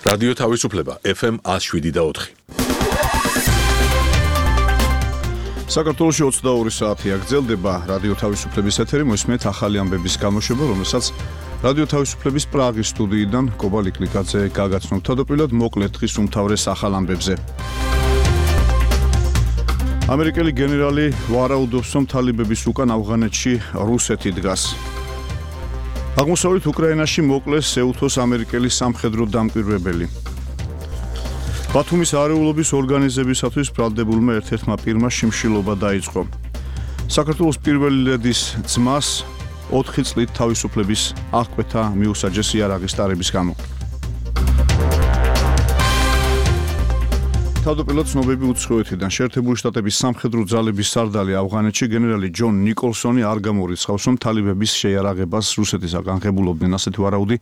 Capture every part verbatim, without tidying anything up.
რადიო თავისუფლება ეფ ემ one oh seven და four. საქართველოში ოცდაორი საათია გრძელდება რადიო თავისუფლების ეთერი, მოისმენთ ახალი ამბების გამოშვება, რომელსაც რადიო თავისუფლების პრაღის სტუდიიდან კობა ლიკლიკაძე გაგაცნობთ. თავდაპირველად მოკლედ დღის უმთავრეს ახალ ამბებზე. ამერიკელი გენერალი ვარაუდობს, რომ თალიბების უკან ავღანეთში რუსეთი დგას. აღმოსავლეთ უკრაინაში მოკლეს ეუთოს ამერიკელი სამხედრო დამკვირვებელი. ბათუმის არეულობის ორგანიზებისათვის ბრალდებულმა ერთ-ერთმა პირმა შიმშილობა დაიწყო. საქართველოს პირველი ლედის ძმას ოთხი წლით თავისუფლების აღკვეთა მიუსაჯეს იარაღის ტარების გამო. თავდაპირველად ცნობები უცხოეთიდან. შეერთებული შტატების სამხედრო ძალების სარდალი ავღანეთში გენერალი ჯონ ნიკოლსონი არ გამორიცხავს, რომ თალიბების შეიარაღებას რუსეთის აღანღებულობდნენ. ასეთი ვარაუდი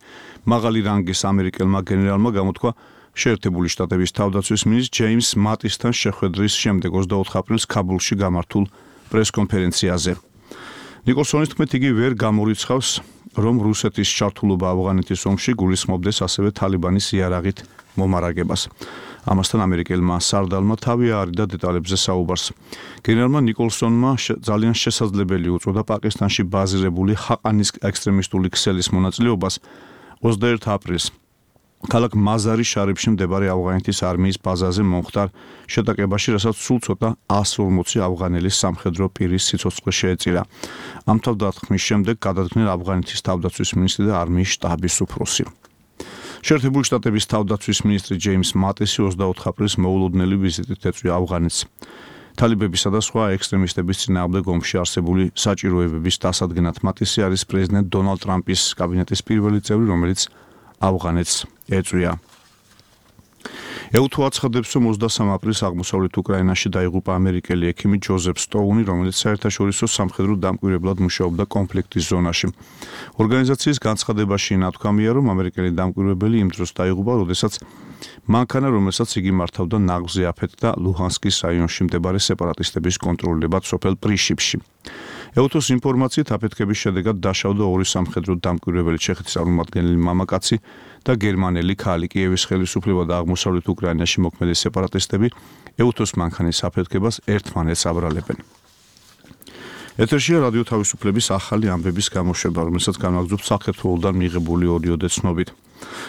მაღალი რანგის ამერიკელმა გენერალმა გამოთქვა შეერთებული შტატების თავდაცვის მინისტრ ჯეიმს მატისთან შეხვედრის შემდეგ ოცდაოთხ აპრილს ქაბულში გამართულ პრესკონფერენციაზე. ნიკოლსონის თქმით, იგი ვერ გამორიცხავს, რომ რუსეთის ჩართულობა ავღანეთის ომში გულისხმობდეს ასევე თალიბანის იარაღით მომარაგებას. ამასთან ამერიკელმა სარდალმა თავი აარიდა დეტალებზე საუბარს. გენერალმა ნიკოლსონმა ძალიან შესაძლებელი უწოდა პაკისტანში ბაზირებული ჰაყანის ექსტრემისტული ქსელის მონაწილეობას ოცდაერთი აპრილს ქალაქ მაზარი შარიფში მდებარე ავღანეთის არმიის ბაზაზე მომხდარ შეტაკებაში, რასაც სულ ცოტა one forty ავღანელი სამხედრო პირის სიცოცხლე შეეწირა. ამ თავდასხმის შემდეგ გადადგნენ ავღანეთის თავდაცვის მინისტრი და არმიის შტაბის უფროსი. შეერთებული შტატების თავდაცვის მინისტრი ჯეიმს მატისი ოცდაოთხ აპრილს მოულოდნელი ვიზიტით ეწვია ავღანეთს. თალიბებისა და სხვა ექსტრემისტების წინააღმდეგ ომში არსებული საჭიროებების დასადგენად მატისი არის პრეზიდენტ დონალდ ტრამპის კაბინეტის პირველი წევრი, რომელიც ავღანეთს ეწვია. ეუთო აცხადებს, რომ ოცდასამ აპრილს აღმოსავლეთ უკრაინაში დაიღუპა ამერიკელი ექიმი ჯოზეფ სტოუნი, რომელიც საერთაშორისო სამხედრო დამკვირვებლად მუშაობდა კონფლიქტის ზონაში. ორგანიზაციის განცხადებაში ნათქვამია, რომ ამერიკელი დამკვირვებელი იმ დროს დაიღუპა, როდესაც მანქანა, რომელსაც იგი მართავდა, ნაღვზე აფეთქდა ლუჰანსკის რაიონში მდებარე სეპარატისტების კონტროლებად სოფელ პრიშიპში. ეუთოს ინფორმაციით აფეთქების შედეგად დაშავდა ორი სამხედრო დამკვირვებელი, ჩეხეთის წარმომადგენელი მამაკაცი და გერმანელი ქალი. კიევის ხელისუფლება და აღმოსავლეთ უკრაინაში მოქმედი სეპარატისტები ეუთოს მანქანის აფეთქებას ერთმანეთს აბრალებენ. ეთერშია რადიო თავისუფლების ახალი ამბების გამოშვება, რომელსაც განვაგრძობთ საქართველოსთან მიღებული ორიოდე ცნობით.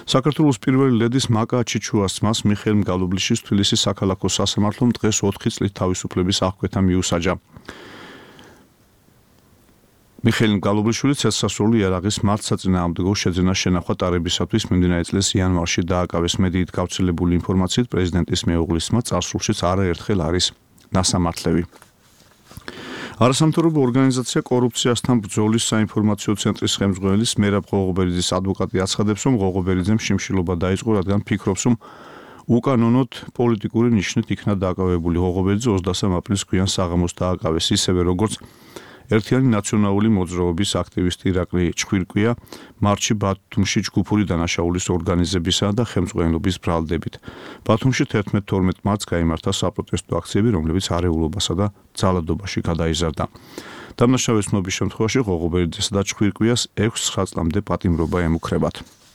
საქართველოს პირველი ლედის მაკა ჩიჩუას ძმას მიხეილ მგალობლიშვილს თბილისის საქალაქო სასამართლომ დღეს ოთხი წლით თავისუფლების აღკვეთა მიუსაჯა. მიხეილ მგალობლიშვილი ცეცხლსასროლი იარაღის მართლსაწინააღმდეგო შეძენა შენახვა ტარებისათვის მიმდინარე წლის იანვარში დააკავეს. მედიით გავრცელებული ინფორმაციით პრეზიდენტის მეუღლის ძმა წარსულშიც არაერთხელ არის ნასამართლევი. არასამთავრობო ორგანიზაცია კორუფციასთან ბრძოლის საინფორმაციო ცენტრის ხელმძღვანელის მერაბ ღოღობერიძის ადვოკატი აცხადებს, რომ ღოღობერიძემ შიმშილობა დაიწყო, რადგან ფიქრობს, რომ უკანონოდ პოლიტიკური ნიშნით იქნა დააკავებული. ღოღობერიძე ოცდასამ აპრილს გვიან საღამოს დააკავეს, ისევე როგორც ერთიანი ნაციონალური მოძრაობის აქტივისტი ირაკლი ჩხვირკვია მარტში ბათუმში ჯგუფური დანაშაულის ორგანიზებისა და ხელმძღვანელობის ბრალდებით. ბათუმში თერთმეტ თორმეტ მარტს გაიმართა საპროტესტო აქციები, რომლებიც არეულობასა და ძალადობაში გადაიზარდა. დამნაშავეს ცნობის შემთხვევაში ღოღობერიძესა და ჩხვირკვიას ექვსი წლამდე პატიმრობა ემუქრებათ.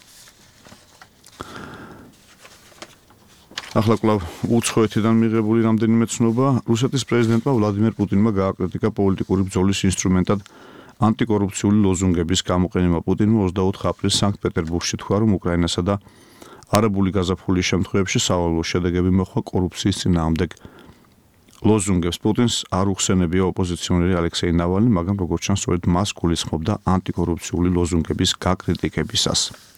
ახლა კვლავ უცხოეთიდან მიღებული რამდენიმე ცნობა. რუსეთის პრეზიდენტმა ვლადიმერ პუტინმა გააკრიტიკა პოლიტიკური ბრძოლის ინსტრუმენტად ანტიკორუფციული ლოზუნგების გამოყენება. პუტინმა ოცდაოთხ აპრილს სანქტ-პეტერბურგში თქვა, რომ უკრაინასა და არაბული გაზაფხულის შემთხვევებში სავალალო შედეგები მოხდა კორუფციის წინააღმდეგ ლოზუნგებს. პუტინს არ უხსენებია ოპოზიციონერი ალექსეი ნავალნი, მაგრამ როგორც ჩანს, სწორედ მას გულისხმობდა ანტიკორუფციული ლოზუნგების გაკრიტიკებისას.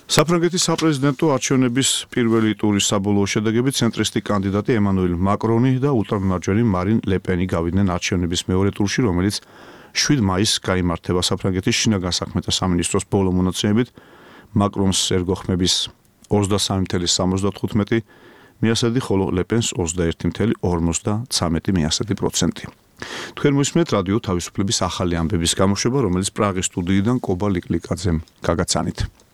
საფრანგეთის საპრეზიდენტო არჩევნების პირველი ტურის საბოლოო შედეგები ცენტრისტი კანდიდატი ემანუელ მაკრონი და ულტრამარჯვენი მარინ ლეპენი გავიდნენ არჩევნების მეორე ტურში, რომელიც შვიდ მაისს გაიმართება. საფრანგეთის შინაგან საქმეთა სამინისტროს ბოლო მონაცემებით მაკრონს ერგოხმების ოცდასამი წუთი სამოცდათხუთმეტი მიასადი, ხოლო ლეპენს ოცდაერთი წუთი ორმოცდაცამეტი მიასადი პროცენტი. თქვენ მოისმენთ რადიო თავისუფლების ახალი ამბების გამოშვება, რომელიც პრაღის სტუდიიდან კობა ლიკლიკაძემ გაგაცანით.